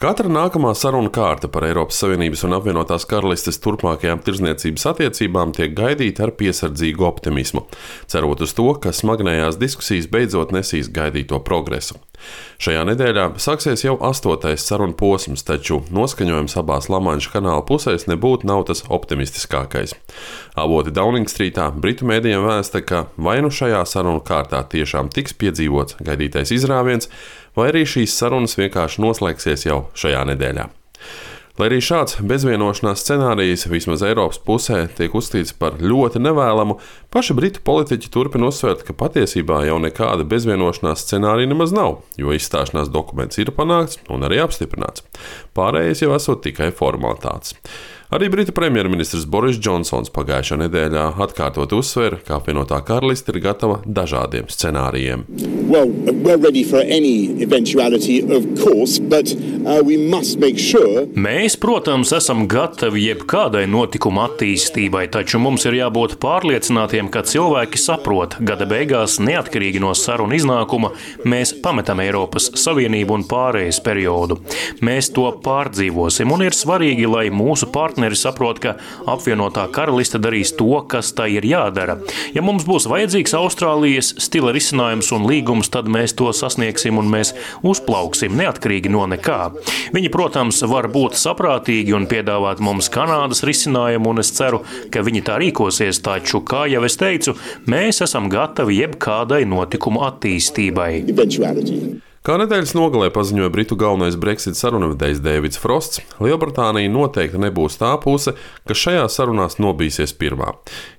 Katra nākamā saruna kārta par Eiropas Savienības un apvienotās karalistes turpmākajām tirdzniecības attiecībām tiek gaidīta ar piesardzīgu optimismu, cerot uz to, ka smagnējās diskusijas beidzot nesīs gaidīto progresu. Šajā nedēļā sāksies jau 8. sarunu posms, taču noskaņojums abās Lamanša kanāla pusēs nebūtu nav tas optimistiskākais. Avoti Downing Streetā Britu mēdījiem vēsta, ka vai nu šajā sarunu kārtā tiešām tiks piedzīvots gaidītais izrāviens, vai arī šīs sarunas vienkārši noslēgsies jau šajā nedēļā. Lai arī šāds bezvienošanās scenārijs vismaz Eiropas pusē tiek uzskatīts par ļoti nevēlamu, paši britu politiķi turpina uzsvērt, ka patiesībā jau nekāda bezvienošanās scenārija nemaz nav, jo izstāšanās dokuments ir panākts un arī apstiprināts. Pārējais jau esot tikai formalitātes. Arī Britu premjerministrs Boris Džonsons pagājušā nedēļā atkārtot uzsvēra, ka apvienotā karaliste ir gatava dažādiem scenārijiem. Mēs, protams, esam gatavi jebkādai notikuma attīstībai, taču mums ir jābūt pārliecinātiem, ka cilvēki saprot, gada beigās, neatkarīgi no sarunu iznākuma, mēs pametam Eiropas Savienību un pārējais periodu. Mēs to pārdzīvosim, un ir svarīgi, lai mūsu partneri saprot, ka apvienotā karaliste darīs to, kas tai ir jādara. Ja mums būs vajadzīgs Austrālijas stila risinājums un līgums, tad mēs to sasniegsim un mēs uzplauksim neatkarīgi no nekā. Viņi, protams, var būt saprātīgi un piedāvāt mums Kanādas risinājumu, un es ceru, ka viņi tā rīkosies, taču, kā jau es teicu, mēs esam gatavi jebkādai notikumu attīstībai. Kā nedēļas nogalē paziņoja Britu galvenais Brexit sarunvedējs Deivids Frosts, Lielbritānija noteikti nebūs tā puse, kas šajās sarunās nobīsies pirmā.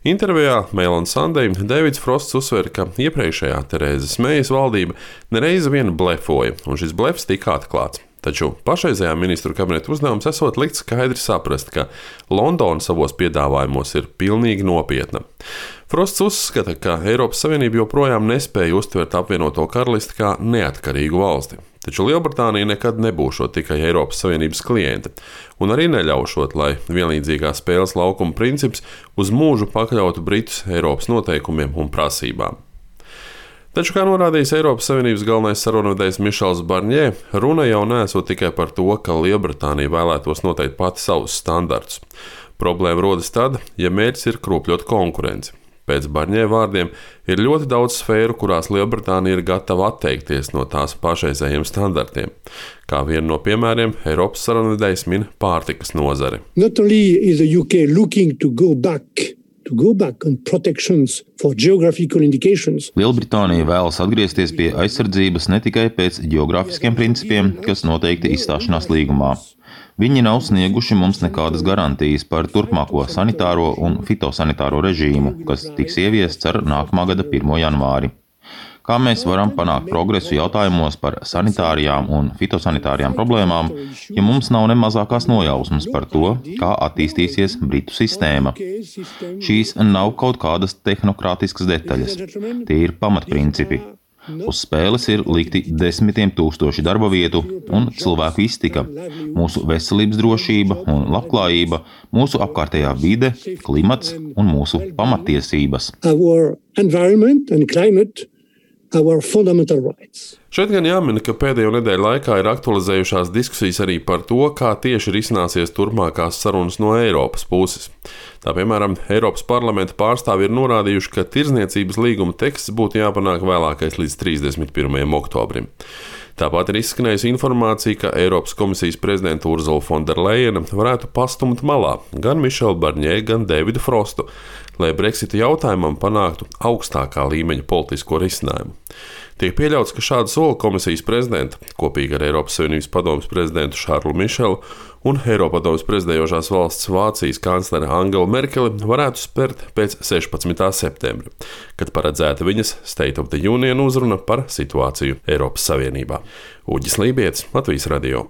Intervijā Mail on Sunday Deivids Frosts uzsver, ka iepriekšējā Terēzes Meijas valdība nereiz vien blefoja, un šis blefs tika atklāts. Taču pašreizējā ministru kabineta uzdevums esot likt skaidri saprast, ka Londona savos piedāvājumos ir pilnīgi nopietna. Frosts uzskata, ka Eiropas Savienība joprojām nespēja uztvert apvienoto karalisti kā neatkarīgu valsti. Taču Lielbritānija nekad nebūšot tikai Eiropas Savienības kliente, un arī neļaušot, lai vienlīdzīgā spēles laukuma princips uz mūžu pakļautu Britus Eiropas noteikumiem un prasībām. Taču, kā norādījis Eiropas Savienības galvenais sarunvedējs Mišels Barņē, runa jau neesot tikai par to, ka Lielbritānija vēlētos noteikt pati savus standartus. Problēma rodas tad, ja mērķis ir kropļot konkurenci. Pēc Barņē vārdiem ir ļoti daudz sfēru, kurās Lielbritānija ir gatava atteikties no tās pašreizējiem standartiem. Kā vienu no piemēriem, Eiropas sarunvedējs min pārtikas nozari. Lielbritānija vēlas atgriezties pie aizsardzības ne tikai pēc ģeogrāfiskiem principiem, kas noteikti izstāšanās līgumā. Viņi nav snieguši mums nekādas garantijas par turpmāko sanitāro un fitosanitāro režīmu, kas tiks ieviests ar nākamā gada 1. janvāri. Kā mēs varam panākt progresu jautājumos par sanitārijām un fitosanitārijām problēmām, ja mums nav ne mazākās nojausmas par to, kā attīstīsies Britu sistēma? Šīs nav kaut kādas tehnokrātiskas detaļas, tie ir pamatprincipi. Uz spēles ir likti 10 000 darba vietu un cilvēku iztika, mūsu veselības drošība un labklājība, mūsu apkārtējā vide, klimats un mūsu pamattiesības. Šeit gan jāmin, ka pēdējo nedēļu laikā ir aktualizējušās diskusijas arī par to, kā tieši risināsies turpmākās sarunas no Eiropas puses. Tā piemēram, Eiropas parlamenta pārstāvji ir norādījuši, ka tirdzniecības līguma teksts būtu jāpanāk vēlākais līdz 31. oktobrim. Tāpat ir izskanējusi informācija, ka Eiropas komisijas prezidenta Ursula von der Leyena varētu pastumt malā gan Mišelu Barņē, gan Deividu Frostu, lai Brexita jautājumam panāktu augstākā līmeņa politisko risinājumu. Tiek pieļauts, ka šādu soli komisijas prezidenta, kopīgi ar Eiropas Savienības padomes prezidentu Šārlu Mišelu un Eiropadomes prezidējošās valsts Vācijas kanclere Angelu Merkeli varētu spērt pēc 16. septembra, kad paredzēta viņas State of the Union uzruna par situāciju Eiropas Savienībā. Uģis Lībietis, Latvijas radio.